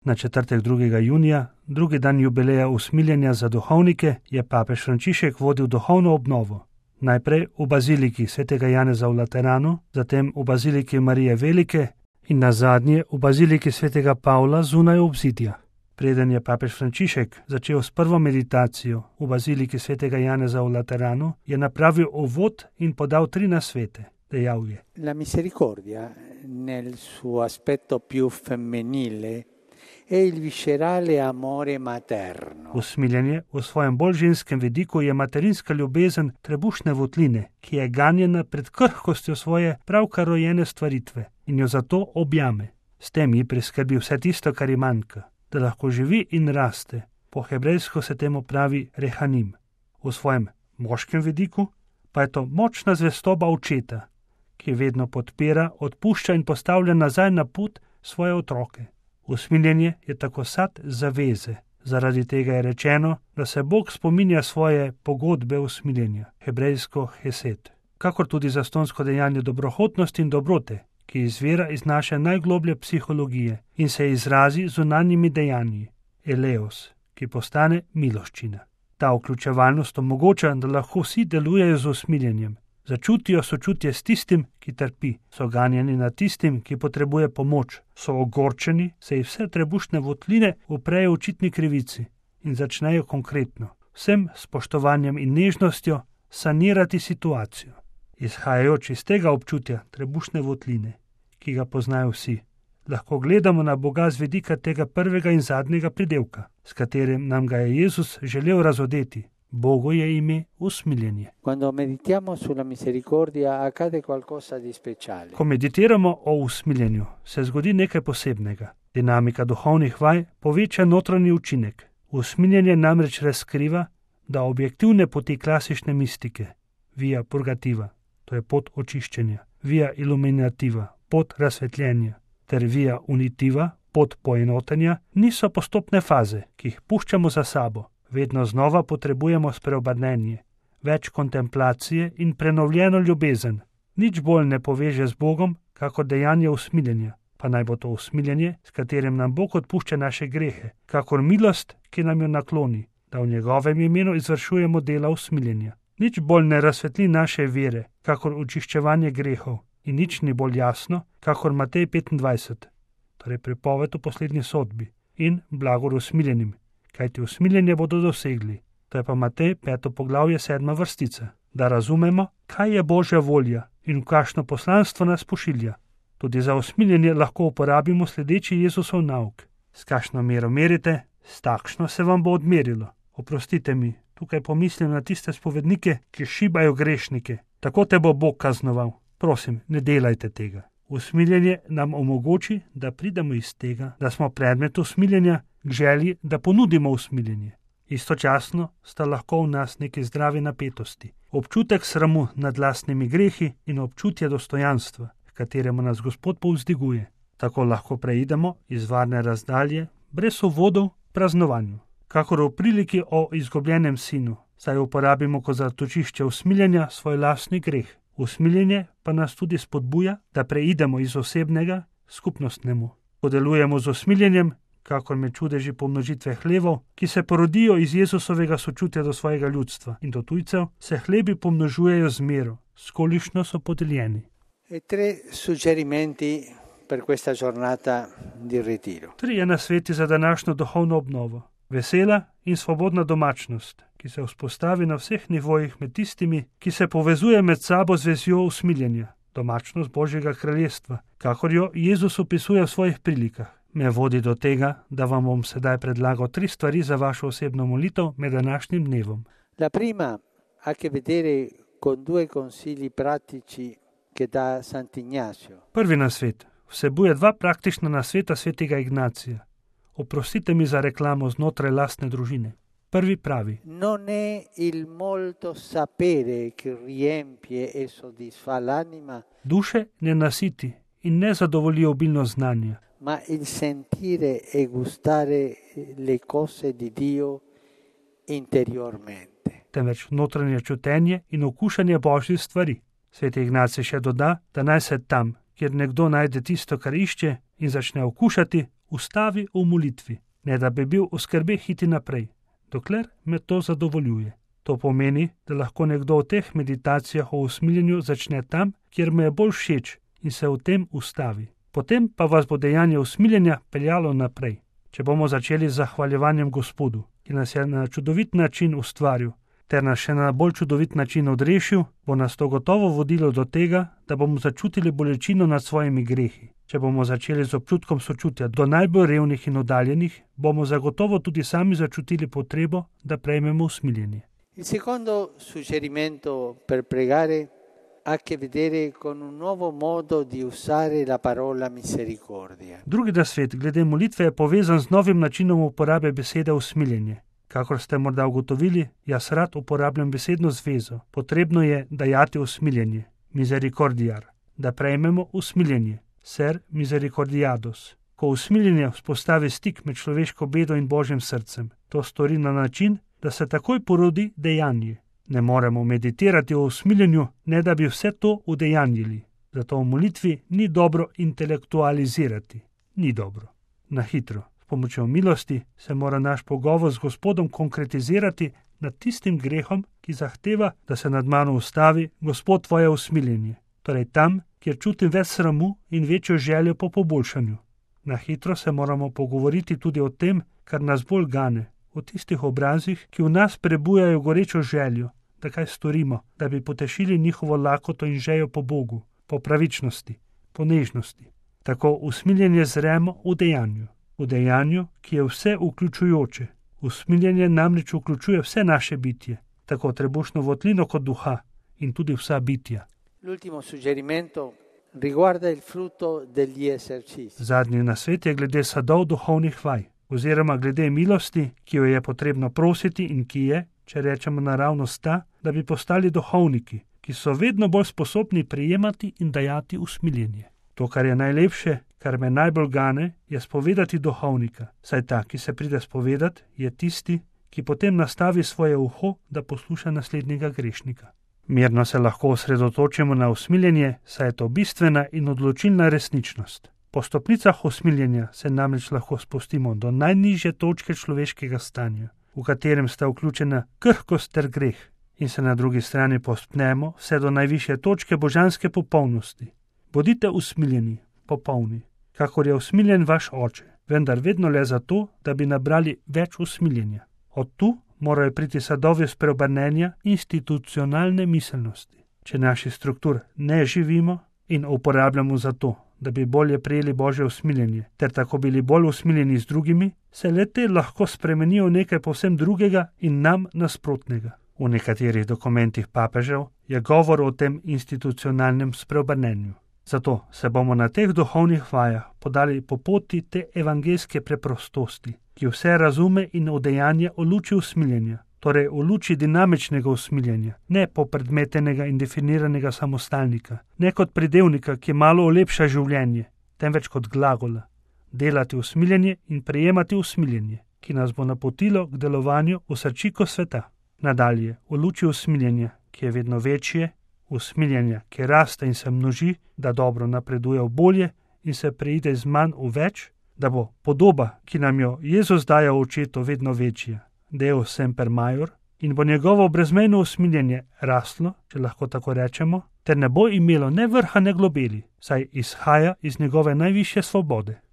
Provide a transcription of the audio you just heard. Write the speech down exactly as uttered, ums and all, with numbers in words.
Na četrtek drugega junija, drugi dan jubileja usmiljenja za duhovnike, je papež Frančišek vodil duhovno obnovo. Najprej v baziliki svetega Janeza v Lateranu, zatem v baziliki Marije Velike in nazadnje v baziliki svetega Pavla zunaj obzidja. Preden je papež Frančišek začel s prvo meditacijo v baziliki svetega Janeza v Lateranu, je napravil uvod in podal tri nasvete. Dejal je: La misericordia nel suo aspetto più femminile è il viscerale amore materno. Usmiljenje v svojem bolj ženskem vidiku je materinska ljubezen trebušne votline, ki je ganjena pred krhkostjo svoje pravkar rojene stvaritve in jo zato objame. S tem ji priskrbi vse tisto, kar ji manjka, da lahko živi in raste. Po hebrejsko se temu pravi rehanim. V svojem moškem vidiku pa je to močna zvestoba očeta, ki vedno podpira, odpušča in postavlja nazaj na pot svoje otroke. Usmiljenje je tako sad zaveze. Zaradi tega je rečeno, da se Bog spominja svoje pogodbe usmiljenja, hebrejsko hesed, kakor tudi zastonsko dejanje dobrohotnosti in dobrote, ki izvira iz naše najgloblje psihologije in se izrazi z zunanjimi dejanji, eleos, ki postane miloščina. Ta vključevalnost omogoča, da lahko vsi delujejo z usmiljenjem, začutijo sočutje s tistim, ki trpi, so ganjeni nad tistim, ki potrebuje pomoč, so ogorčeni, se jih vse trebušne votline uprejo očitni krivici in začnejo konkretno, vsem spoštovanjem in nežnostjo sanirati situacijo. Izhajajoč iz tega občutja trebušne votline, ki ga poznajo vsi, lahko gledamo na Boga z vidika tega prvega in zadnjega pridelka, s katerim nam ga je Jezus želel razodeti. Bogu je ime usmiljenje. Quando meditiamo sulla misericordia accade qualcosa di speciale. Ko meditiramo o usmiljenju, se zgodi nekaj posebnega. Dinamika duhovnih vaj poveča notranji učinek. Usmiljenje namreč razkriva, da objektivne poti klasične mistike, via purgativa, to je pot očiščenja, via illuminativa, pot razsvetljenja, ter via unitiva, pot poenotenja, niso postopne faze, ki jih puščamo za sabo. Vedno znova potrebujemo spreobrnenje, več kontemplacije in prenovljeno ljubezen. Nič bolj ne poveže z Bogom, kakor dejanje usmiljenja, pa naj bo to usmiljenje, s katerim nam Bog odpušča naše grehe, kakor milost, ki nam jo nakloni, da v njegovem imenu izvršujemo dela usmiljenja. Nič bolj ne razsvetli naše vere, kakor očiščevanje grehov, in nič ni bolj jasno, kakor Matej petindvajset, torej pripoved o poslednji sodbi, in blagor usmiljenim, kajti usmiljenje bodo dosegli. To je pa Matej peto poglavje sedma vrstica, da razumemo, kaj je Božja volja in v kakšno poslanstvo nas pošilja. Tudi za usmiljenje lahko uporabimo sledeči Jezusov nauk. S kakšno mero merite, s takšno se vam bo odmerilo. Oprostite mi, tukaj pomislim na tiste spovednike, ki šibajo grešnike. Tako te bo Bog kaznoval. Prosim, ne delajte tega. Usmiljenje nam omogoči, da pridemo iz tega, da smo predmet usmiljenja, k želji, da ponudimo usmiljenje. Istočasno sta lahko v nas neki zdravi napetosti, občutek sramu nad lastnimi grehi in občutje dostojanstva, k kateremu nas Gospod povzdiguje. Tako lahko preidemo iz varne razdalje, brez uvodov, praznovanju. Kakor v priliki o izgubljenem sinu, saj uporabimo kot zatočišče usmiljenja svoj lastni greh. Usmiljenje pa nas tudi spodbuja, da preidemo iz osebnega skupnostnemu. Ko delujemo z usmiljenjem, kakor med čudeži pomnožitve hlevov, ki se porodijo iz Jezusovega sočutja do svojega ljudstva in do tujcev, se hlebi pomnožujejo z mero, s kolikšno so podeljeni. E tre suggerimenti per questa giornata di ritiro. Trije nasveti za današnjo duhovno obnovo. Vesela in svobodna domačnost, ki se vzpostavi na vseh nivojih med tistimi, ki se povezuje med sabo z vezjo usmiljenja. Domačnost Božjega kraljestva, kakor jo Jezus opisuje v svojih prilikah, me vodi do tega, da vam bom sedaj predlagal tri stvari za vašo osebno molitev med današnjim dnevom. La prima ha che vedere con due consigli pratici che dà Sant'Ignazio. Prvi nasvet vsebuje dva praktična nasveta svetega Ignacija. Oprostite mi za reklamo znotraj lastne družine. Prvi pravi: Non è il molto sapere che riempie e soddisfa l'anima, duše ne nasiti in ne zadovolji obilno znanja, ma il sentire e gustare le cose di Dio interiormente. Temveč notranje čutenje in okušanje Božjih stvari. Sveti Ignacij še doda, da naj se tam, kjer nekdo najde tisto, kar išče, in začne okušati, ustavi v molitvi, ne da bi bil v skrbeh iti naprej, dokler me to zadovoljuje. To pomeni, da lahko nekdo v teh meditacijah o usmiljenju začne tam, kjer mu je bolj všeč in se v tem ustavi. Potem pa vas bo dejanje usmiljenja peljalo naprej. Če bomo začeli z zahvaljevanjem Gospodu, ki nas je na čudovit način ustvaril, ter nas še na bolj čudovit način odrešil, bo nas to gotovo vodilo do tega, da bomo začutili bolečino nad svojimi grehi. Če bomo začeli z občutkom sočutja do najbolj revnih in oddaljenih, bomo zagotovo tudi sami začutili potrebo, da prejmemo usmiljenje. Il secondo suggerimento per pregare ha a che vedere con un nuovo modo di usare la parola misericordia. Drugi nasvet glede molitve je povezan z novim načinom uporabe besede usmiljenje. Kakor ste morda ugotovili, jaz rad uporabljam besedno zvezo. Potrebno je dajati usmiljenje, misericordiar, da prejmemo usmiljenje, ser misericordiados. Ko usmiljenje vzpostavi stik med človeško bedo in Božjim srcem, to stori na način, da se takoj porodi dejanje. Ne moremo meditirati o usmiljenju, ne da bi vse to udejanjili. Zato v molitvi ni dobro intelektualizirati. Ni dobro. Na hitro, s pomočjo milosti, se mora naš pogovor z Gospodom konkretizirati nad tistim grehom, ki zahteva, da se nad mano ustavi Gospod tvoje usmiljenje. Torej tam, kjer čutim več sramu in večjo željo po poboljšanju. Na hitro se moramo pogovoriti tudi o tem, kar nas bolj gane, o tistih obrazih, ki v nas prebujajo gorečo željo, da kaj storimo, da bi potešili njihovo lakoto in željo po Bogu, po pravičnosti, po nežnosti. Tako usmiljenje zremo v dejanju, v dejanju, ki je vse vključujoče. Usmiljenje namreč vključuje vse naše bitje, tako trebušno votlino kot duha in tudi vsa bitja. L'ultimo suggerimento riguarda il frutto degli esercizi. Zadnji nasvet je glede sadov duhovnih vaj, oziroma glede milosti, ki jo je potrebno prositi in ki je, če rečemo naravnost ta, da bi postali duhovniki, ki so vedno bolj sposobni prijemati in dajati usmiljenje. To, kar je najlepše, kar me najbolj gane, je spovedati duhovnika, saj ta, ki se pride spovedat, je tisti, ki potem nastavi svoje uho, da posluša naslednjega grešnika. Mirno se lahko osredotočimo na usmiljenje, saj je to bistvena in odločilna resničnost. Po stopnicah usmiljenja se namreč lahko spustimo do najnižje točke človeškega stanja, v katerem sta vključena krhkost ter greh, in se na drugi strani povzpnemo vse do najvišje točke božanske popolnosti. Bodite usmiljeni, popolni, kakor je usmiljen vaš oče, vendar vedno le zato, da bi nabrali več usmiljenja. Od tu morajo priti sadovi spreobrnenja institucionalne miselnosti. Če naših struktur ne živimo in uporabljamo za to, da bi bolje prijeli Božje usmiljenje, ter tako bili bolj usmiljeni z drugimi, se le-te lahko spremenijo v nekaj povsem drugega in nam nasprotnega. V nekaterih dokumentih papežev je govor o tem institucionalnem spreobrnenju. Zato se bomo na teh duhovnih vajah podali po poti te evangelske preprostosti, ki vse razume in udejanja v luči usmiljenja, torej v luči dinamičnega usmiljenja, ne popredmetenega in definiranega samostalnika, ne kot pridevnika, ki malo olepša življenje, temveč kot glagola, delati usmiljenje in prejemati usmiljenje, ki nas bo napotilo k delovanju v srčiko sveta. Nadalje, v luči usmiljenja, ki je vedno večje, usmiljenja, ki raste in se množi, da dobro napreduje v bolje in se preide iz manj v več, da bo podoba, ki nam jo Jezus daje v očetu, vedno večja, Deus semper maior, in bo njegovo brezmejno usmiljenje raslo, če lahko tako rečemo, ter ne bo imelo ne vrha ne globeli, saj izhaja iz njegove najvišje svobode.